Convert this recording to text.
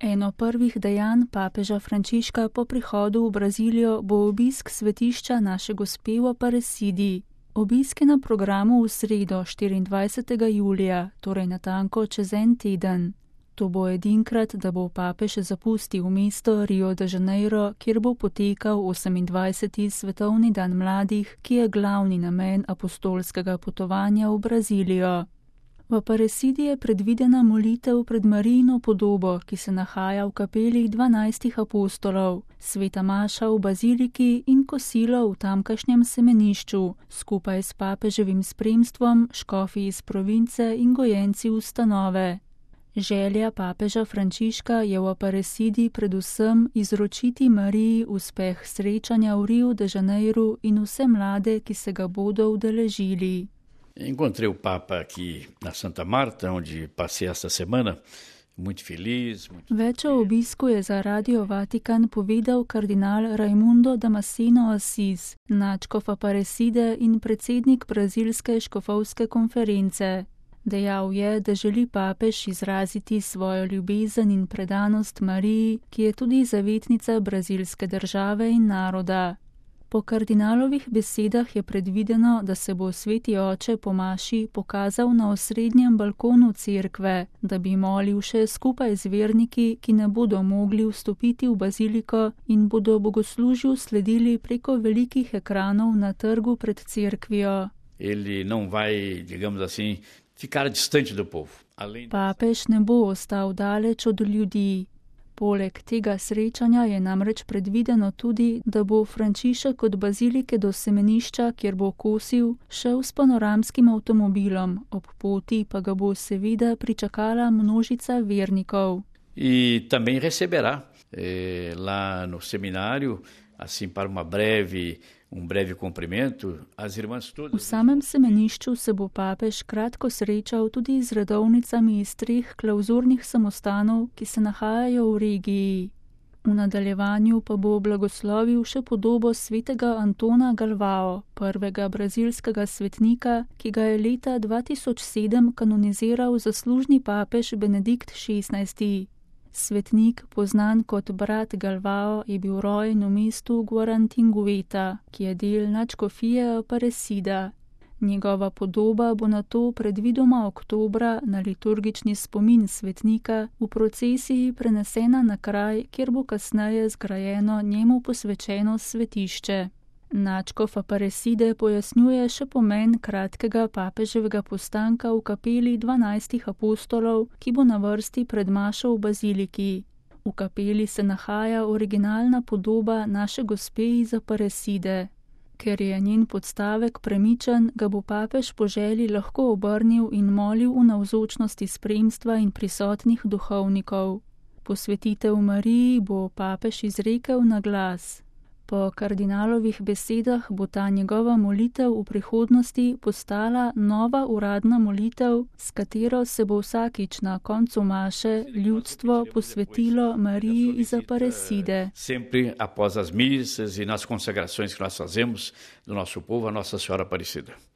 Eno prvih dejanj papeža Frančiška po prihodu v Brazilijo bo obisk svetišča Naše gospe v Aparecidi. Obisk je na programu v sredo 24. julija, torej natanko čez en teden. To bo edinkrat, da bo papež zapustil mesto Rio de Janeiro, kjer bo potekal 28. svetovni dan mladih, ki je glavni namen apostolskega potovanja v Brazilijo. V Aparecidi je predvidena molitev pred Marijino podobo, ki se nahaja v kapeli 12 apostolov, sveta maša v baziliki in kosilo v tamkajšnjem semenišču, skupaj s papeževim spremstvom, škofi iz province in gojenci ustanove. Želja papeža Frančiška je v Aparecidi predvsem izročiti Mariji uspeh srečanja v Rio de Janeiro in vse mlade, ki se ga bodo udeležili. Encontrei o Papa aqui na Santa Marta, onde passei esta semana, muito feliz. Več o obisku je za Radio Vatikan povedal kardinal Raimundo Damasceno Assis, nadškof Aparecide in predsednik brazilske škofovske konference. Dejal je, da želi papež izraziti svojo ljubezen in predanost Mariji, ki je tudi zavetnica brazilske države in naroda. Po kardinalovih besedah je predvideno, da se bo sveti oče po maši pokazal na osrednjem balkonu cerkve, da bi molil še skupaj z verniki, ki ne bodo mogli vstopiti v baziliko in bodo bogoslužju sledili preko velikih ekranov na trgu pred cerkvijo. Ele não vai, digamos assim, ficar distante do povo. Papež ne bo ostal daleč od ljudi. Poleg tega srečanja je namreč predvideno tudi, da bo Frančišek od bazilike do semenišča, kjer bo kosil, šel s panoramskim avtomobilom, ob poti pa ga bo seveda pričakala množica vernikov. E também receberá lá no seminário, assim para um breve cumprimento, as irmãs todas. V samem semenišču se bo papež kratko srečal tudi z redovnicami iz 3 klauzurnih samostanov, ki se nahajajo v regiji. V nadaljevanju pa bo blagoslovil še podobo svetega Antona Galvao, prvega brazilskega svetnika, ki ga je leta 2007 kanoniziral zaslužni papež Benedikt XVI. Svetnik, poznan kot brat Galvao, je bil rojen v mestu Guarantingueta, ki je del nadškofije Aparecida. Njegova podoba bo nato predvidoma oktobra na liturgični spomin svetnika v procesiji prenesena na kraj, kjer bo kasneje zgrajeno njemu posvečeno svetišče. Nadškof Aparecide pojasnjuje še pomen kratkega papeževega postanka v kapeli 12 apostolov, ki bo na vrsti pred mašo v baziliki. V kapeli se nahaja originalna podoba Naše gospe iz Aparecide. Ker je njen podstavek premičen, ga bo papež po želji lahko obrnil in molil v navzočnosti spremstva in prisotnih duhovnikov. Posvetitev Mariji bo papež izrekel na glas. Po kardinalovih besedah bo ta njegova molitev v prihodnosti postala nova uradna molitev, s katero se bo vsakič na koncu maše ljudstvo posvetilo Mariji iz Aparecide. Sempre após as missas e nas consagrações que nós fazemos do nosso povo a Nossa Senhora Aparecida.